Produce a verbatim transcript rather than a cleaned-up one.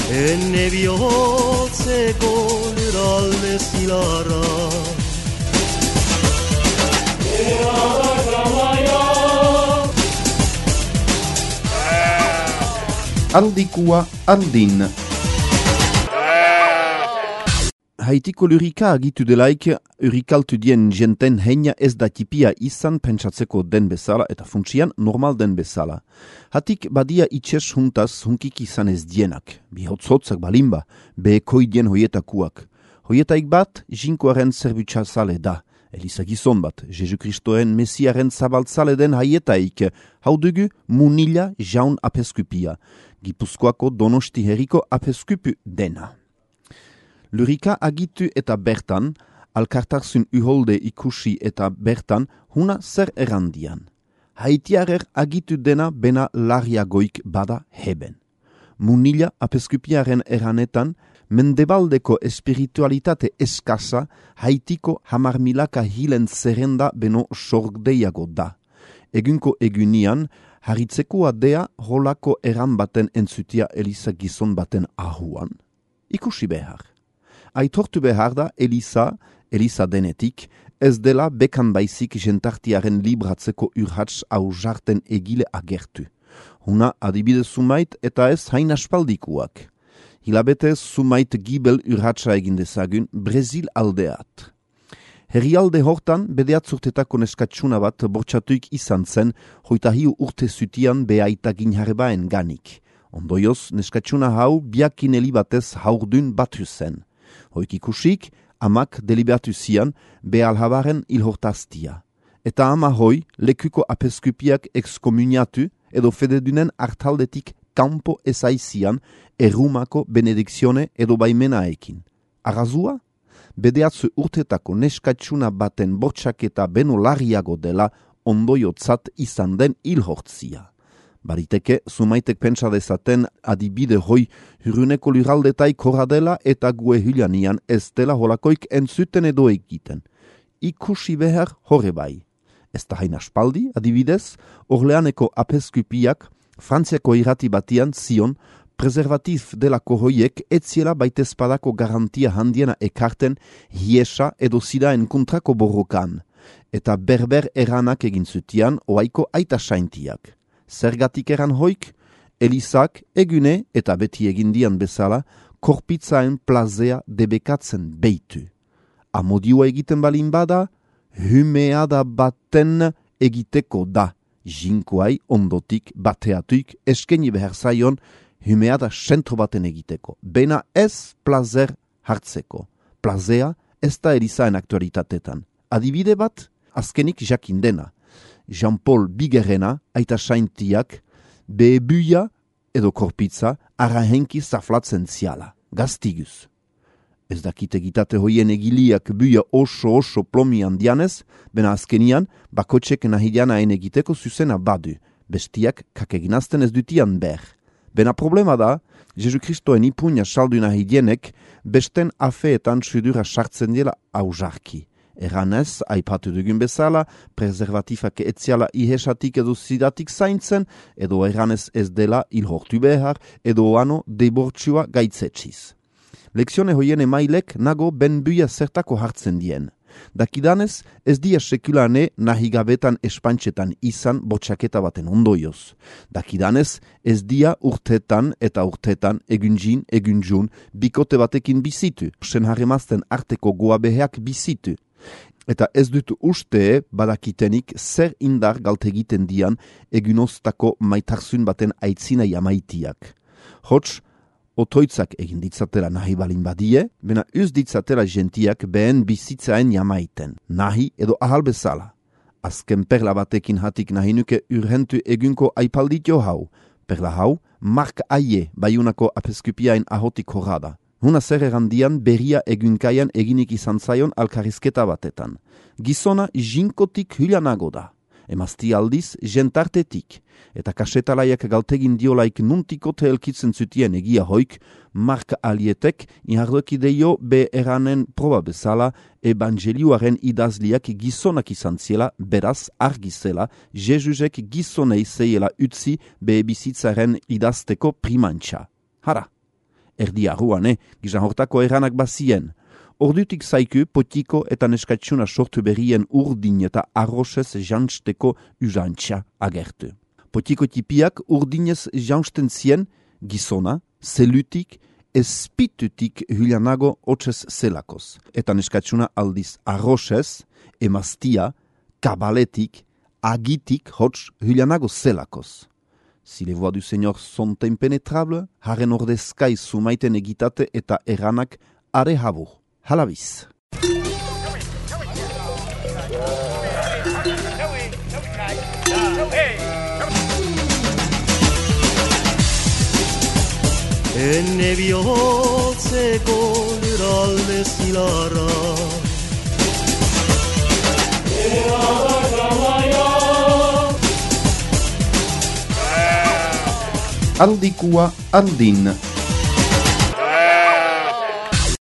Enne bihotzeko lurralde zilarra Handikua handin. Haitiko lurika agitu delaik, urikaltu dien jenten heina ez da tipia izan pentsatzeko den bezala eta funtsian normal den bezala. Hatik badia itxes huntaz hunkik izan ez dienak, bihotzotzak balimba, behekoi dien hoietakuak. Hoietaik bat, jinkoaren zerbutsazale da. Eliza gizon bat, Jesu Kristoen Mesiaren zabaltzale den haietaik, hau dugu Munila jaun apeskupia, Gipuzkoako Donosti herriko apeskupu dena. Lurika agitu eta bertan, alkartarzun uholde ikusi eta bertan, huna zer errandian. Haitiarer agitu dena bena larriagoik bada heben. Munila apeskupiaren eranetan, mendebaldeko espiritualitate eskasa Haitiko hamar milaka hilen zerrenda beno sorgdeiago da. Egunko egunian, haritzekoa dea holako eran baten entzutia Eliza gizon baten ahuan. Ikusi behar. Aitortu behar da Eliza, Eliza denetik, ez dela bekan baizik jentartiaren libratzeko urhats hau jarten egile agertu. Huna adibide sumait eta ez hain aspaldikuak. Hilabete sumait gibel urhatsa egin dezagun Brezil aldeat. Herrialde hortan bedeatzurtetako neskatsuna bat bortxatuik izan zen hoita hiu urte zutian behaita ginharbaen ganik. Ondoioz neskatsuna hau biakin elibatez haurdun batu zen. Hoik ikusik, amak deliberatu zian behalhabaren ilhortaztia. Eta ama hoi lekuko apeskupiak exkomuniatu edo fededunen hartaldetik kampo ezaizian errumako benedikzione edo baimenaekin. Arrazua? Bedeatzu urtetako neskatsuna baten bortxaketa beno larriago dela ondoiotzat izan den ilhortzia. Bariteke, sumaitek pentsa dezaten adibide hoi huruneko luraldetaik horra dela eta gue hilanian ez dela holakoik entzuten edo egiten. Ikusi behar horre bai. Ez da hain aspaldi, adibidez, Orleaneko apeskupiak Frantziako irrati batian zion preservatif delako hoiek etziela baitezpadako garantia handiena ekarten hiesa edo sidaen kontrako borrokan, eta berber eranak egin zutian oaiko aita saintiak. Zergatik eran hoik, Elizak egune eta beti egindian bezala korpitzaen plazea debekatzen beitu. Amodioa egiten balin bada, humeada baten egiteko da. Jinkoai ondotik bateatuik eskeni behar zaion humeada sentro baten egiteko. Bena ez plazer hartzeko. Plazea ez da Elizaen aktualitatetan. Adibide bat, azkenik jakin dena. Jean-Paul Bigerrena, aita saintiak, behebuia edo korpitza arahenki zaflatzen ziala. Gaztiguz. Ez dakite gitate hoien egiliak buia oso oso plomian dianez, bena azkenian bakotxek nahidianaen egiteko zuzena badu, bestiak kakeginazten ez dutian ber. Bena problema da, Jesu Kristoen ipuña saldu nahidienek besten afeetan sudura sartzen dela aujarki. Eranez, aipatu dugun bezala, preservatifak etziala ihesatik edo zidatik zaintzen, edo eranez ez dela ilhortu behar, edo ano debortxua gaitzetxiz. Lekzione hoien emailek nago benbuia zertako hartzen dien. Dakidanez, ez dia sekulane nahigabetan espantxetan izan botxaketa baten ondoioz. Dakidanez, ez dia urtetan eta urtetan egunjin, egunjun, bikote batekin bizitu, sen harremazten arteko goabeheak bizitu. Eta ez dut uste badakitenik zer indar galtegiten dian egunoztako maitarzun baten aitzina jamaitiak. Hots, otoitzak egin ditzatela nahi balin badie, bena uz ditzatela gentiak behen bizitzaen jamaiten, nahi edo ahal bezala. Azken perla batekin hatik nahi nuke urhentu egunko aipalditio hau. Perla hau, Mark Aie baiunako apeskupiain ahotik horrada. Huna zer errandian berria egunkaian eginik izan zaion alkarrizketa batetan. Gizona jinkotik hilanago da. Emazti aldiz, jentartetik, eta kasetalaiak galtegin diolaik nuntikote elkitzen zutien egia hoik, Mark Alietek inhardokideio be eranen proba bezala evangelioaren idazliak gizonak izan ziela, beraz argizela, Jezusek gizonei zeiela utzi be bizitzaren idazteko primantxa. Hara, erdi arruane, gizan hortako eranak bazien. Ordutik zaiku potiko eta neskatsuna sortu berrien urdin eta arrosez jansteko usantxa agertu. Potiko tipiak urdinez jansten zien gizona, zelutik, espitutik hulianago otxez zelakoz. Eta neskatsuna aldiz arrosez, emaztia, kabaletik, agitik hotz hulianago zelakoz. Si les voix du Seigneur sont impénétrables, haren ordezkai sumaiten egitate eta eranak are habur. Halabiz. Enne bihotzeko luralde zilarra Aldikua aldin.